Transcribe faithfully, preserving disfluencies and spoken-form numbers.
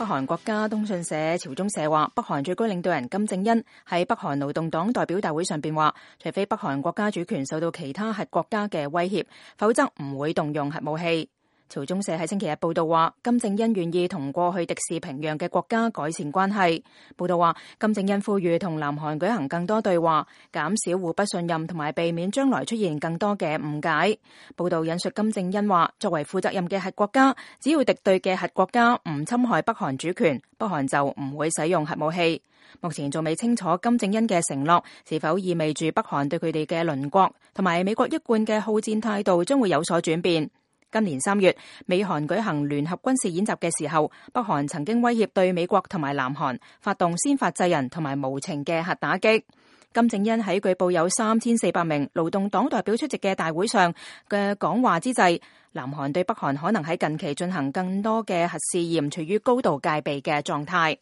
北韓國家通訊社朝中社話，北韓最高領導人金正恩喺北韓勞動黨代表大會上邊話，除非北韓國家主權受到其他核國家嘅威脅，否則唔會動用核武器。朝中社喺星期日報道話，金正恩願意同過去敵視平壤嘅國家改善關係。報道話，金正恩呼籲同南韓舉行更多對話，減少互不信任同埋避免將來出現更多嘅誤解。報道引述金正恩話，作為負責任嘅核國家，只要敵對嘅核國家唔侵害北韓主權，北韓就唔會使用核武器。目前仲未清楚金正恩嘅承諾是否意味住北韓對佢哋嘅鄰國同埋美國一貫嘅好戰態度將會有所轉變。今年三月，美韓舉行聯合軍事演習嘅時候，北韓曾經威脅對美國同埋南韓發動先發制人同埋無情嘅核打擊。金正恩喺據報有三千四百名勞動黨代表出席嘅大會上嘅講話之際，南韓對北韓可能喺近期進行更多嘅核試驗，處於高度戒備嘅狀態。